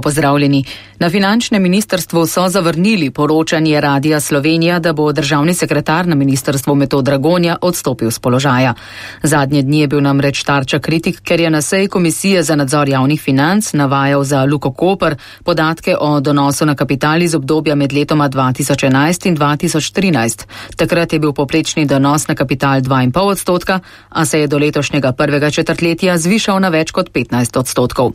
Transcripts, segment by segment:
Pozdravljeni. Na finančnem ministrstvu so zavrnili poročanje Radia Slovenija, da bo državni sekretar na ministrstvu Metod Dragonja odstopil z položaja. Zadnje dni je bil namreč tarča kritik, ker je na seji Komisije za nadzor javnih financ navajal za Luko Koper podatke o donosu na kapital iz obdobja med letoma 2011 in 2013. Takrat je bil povprečni donos na kapital 2,5%, a se je do letošnjega prvega četrtletja zvišal na več kot 15%.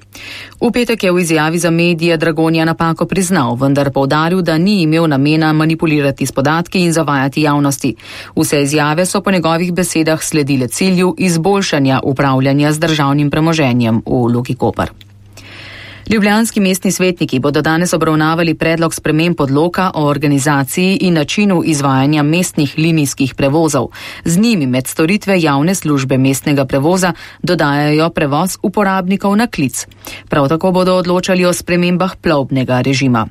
V petek je v izjavi za medije Dragonja napako priznal, vendar poudaril, da ni imel namena manipulirati s podatki in zavajati javnosti. Vse izjave so po njegovih besedah sledile cilju izboljšanja upravljanja z državnim premoženjem v Luki Koper. Ljubljanski mestni svetniki bodo danes obravnavali predlog sprememb odloka o organizaciji in načinu izvajanja mestnih linijskih prevozov. Z njimi med storitve javne službe mestnega prevoza dodajajo prevoz uporabnikov na klic. Prav tako bodo odločali o spremembah plovbnega režima.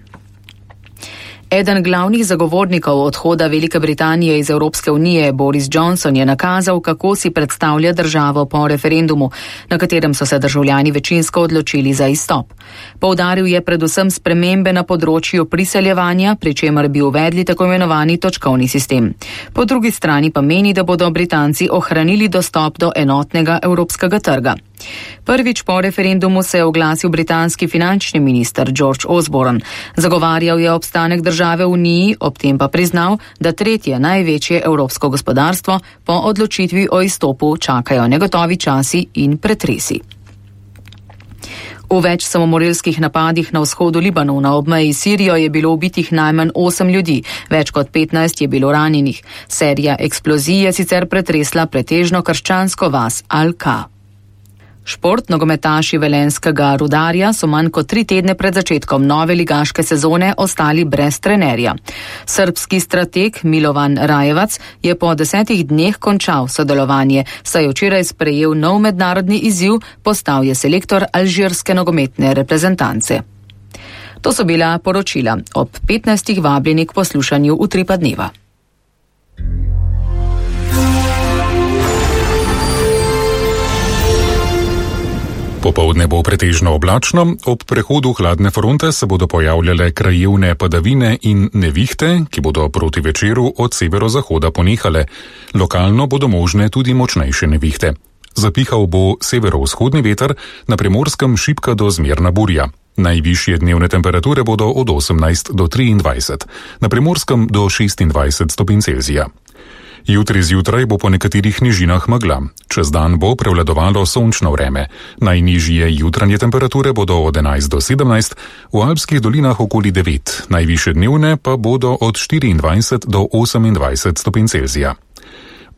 Eden glavnih zagovornikov odhoda Velike Britanije iz Evropske unije, Boris Johnson, je nakazal, kako si predstavlja državo po referendumu, na katerem so se državljani večinsko odločili za izstop. Poudaril je predvsem spremembe na področju priseljevanja, pri čemer bi uvedli tako imenovani točkovni sistem. Po drugi strani pa meni, da bodo Britanci ohranili dostop do enotnega evropskega trga. Prvič po referendumu se je oglasil britanski finančni minister George Osborne. Zagovarjal je obstanek države v Uniji, ob tem pa priznal, da tretje največje evropsko gospodarstvo po odločitvi o izstopu čakajo negotovi časi in pretresi. V več samomorilskih napadih na vzhodu Libanona ob meji s Sirijo je bilo ubitih najmanj 8 ljudi, več kot 15 je bilo ranjenih. Serija eksplozij je sicer pretresla pretežno krščansko vas Al-Ka. Šport, nogometaši velenjskega Rudarja so manj kot 3 tedne pred začetkom nove ligaške sezone ostali brez trenerja. Srbski strateg Milovan Rajevac je po 10 dneh končal sodelovanje, saj je včeraj sprejel nov mednarodni izziv, postal je selektor alžirske nogometne reprezentance. To so bila poročila. Ob 15. vabljeni k poslušanju Utripa dneva. Popoldne bo pretežno oblačno, ob prehodu hladne fronte se bodo pojavljale krajevne padavine in nevihte, ki bodo proti večeru od severozahoda ponehale. Lokalno bodo možne tudi močnejše nevihte. Zapihal bo severovzhodni veter, na Primorskem šibka do zmerna burja. Najvišje dnevne temperature bodo od 18 do 23, na Primorskem do 26 stopinj Celzija. Jutri zjutraj bo po nekaterih nižinah megla. Čez dan bo prevladovalo sončno vreme. Najnižje jutranje temperature bodo od 11 do 17, v alpskih dolinah okoli 9, najvišje dnevne pa bodo od 24 do 28 stopinj Celzija.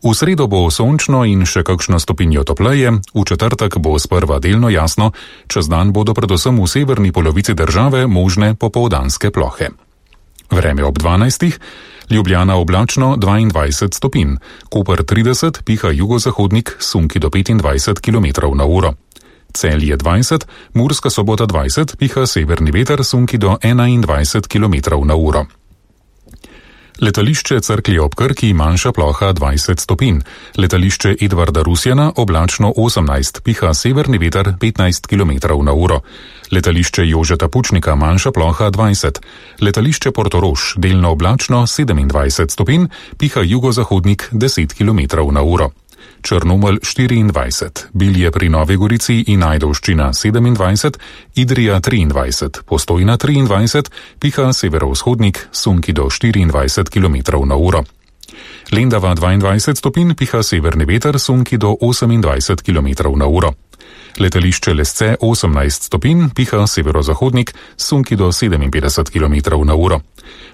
V sredo bo sončno in še kakšno stopinjo topleje, v četrtek bo sprva delno jasno, čez dan bodo predvsem v severni polovici države možne popoldanske plohe. Vreme ob 12. Ljubljana oblačno 22 stopinj, Koper 30, piha jugozahodnik, sunki do 25 km/h. Celje 20, Murska Sobota 20, piha severni veter, sunki do 21 km/h. Letališče Cerklje ob Krki, manjša ploha 20 stopinj. Letališče Edvarda Rusjana oblačno 18, piha severni veter 15 km/h. Letališče Jožeta Pučnika, manjša ploha 20. Letališče Portorož, delno oblačno 27 stopinj, piha jugozahodnik 10 km/h. Črnomelj 24, Bilje pri Novi Gorici in Ajdovščina 27, Idrija 23, Postojna 23, piha severovzhodnik, sunki do 24 km/h. Lendava 22 stopinj, piha severni veter, sunki do 28 km/h. Letališče Lesce 18 stopinj, piha severozahodnik, sunki do 57 km/h.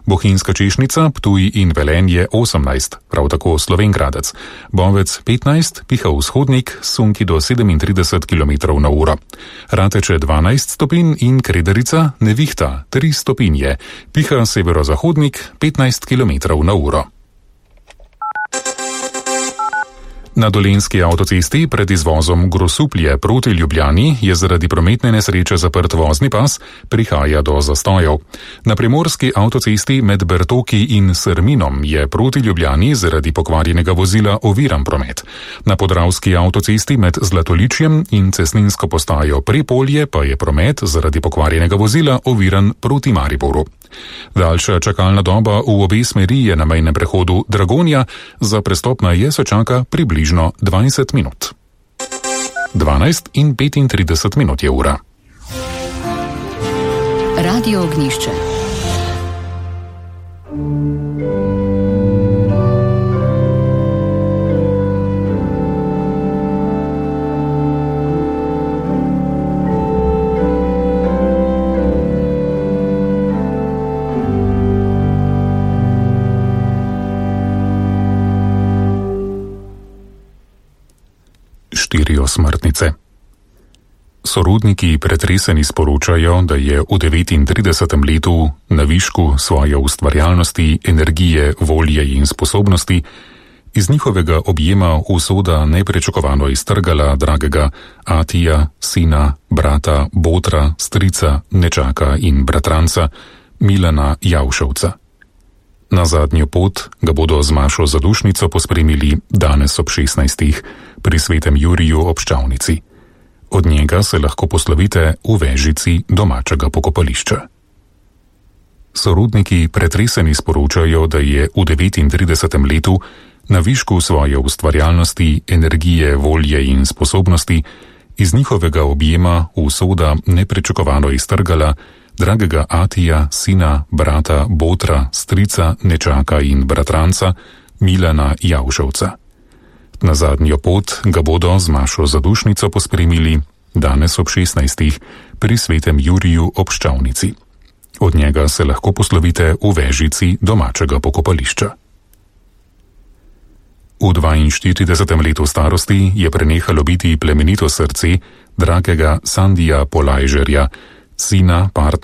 Bohinjska Češnica, Ptuj in Velenje 18, prav tako Slovenj Gradec. Bovec 15, piha vzhodnik, sunki do 37 km/h. Rateče 12 stopinj in Krederica, nevihta 3 stopinje, piha severozahodnik 15 km/h. Na Dolenjski avtocesti pred izvozom Grosuplje proti Ljubljani je zaradi prometne nesreče zaprt vozni pas, prihaja do zastojev. Na primorski avtocesti med Bertoki in Srminom je proti Ljubljani zaradi pokvarjenega vozila oviran promet. Na podravski avtocesti med Zlatoličjem in cestninsko postajo Prepolje pa je promet zaradi pokvarjenega vozila oviran proti Mariboru. Daljša čakalna doba v obe smeri je na mejnem prehodu Dragonja, za prestop na je se čaka približno 20 minut. 12:35 je ura. Radio Ognjišče. Smrtnice. Sorodniki pretreseni sporočajo, da je v 39. letu na višku svoje ustvarjalnosti, energije, volje in sposobnosti iz njihovega objema usoda neprečakovano iztrgala dragega Atija, sina, brata, botra, strica, nečaka in bratranca Milana Javšovca. Na zadnjo pot ga bodo z Mašo Zadušnico pospremili danes ob 16. pri Svetem Juriju ob Ščavnici. Od njega se lahko poslovite v vežici domačega pokopališča. Sorodniki pretreseni sporočajo, da je v 39. letu na višku svoje ustvarjalnosti, energije, volje in sposobnosti iz njihovega objema usoda neprečakovano iztrgala dragega Atija, sina, brata, botra, strica, nečaka in bratranca Milana Javšovca. Na zadnjo pot ga bodo z Mašo Zadušnico pospremili danes ob 16. pri Svetem Juriju ob Ščavnici. Od njega se lahko poslovite v vežici domačega pokopališča. V 42. letu starosti je prenehalo biti plemenito srce dragega Sandija Polajžerja, sina partnerja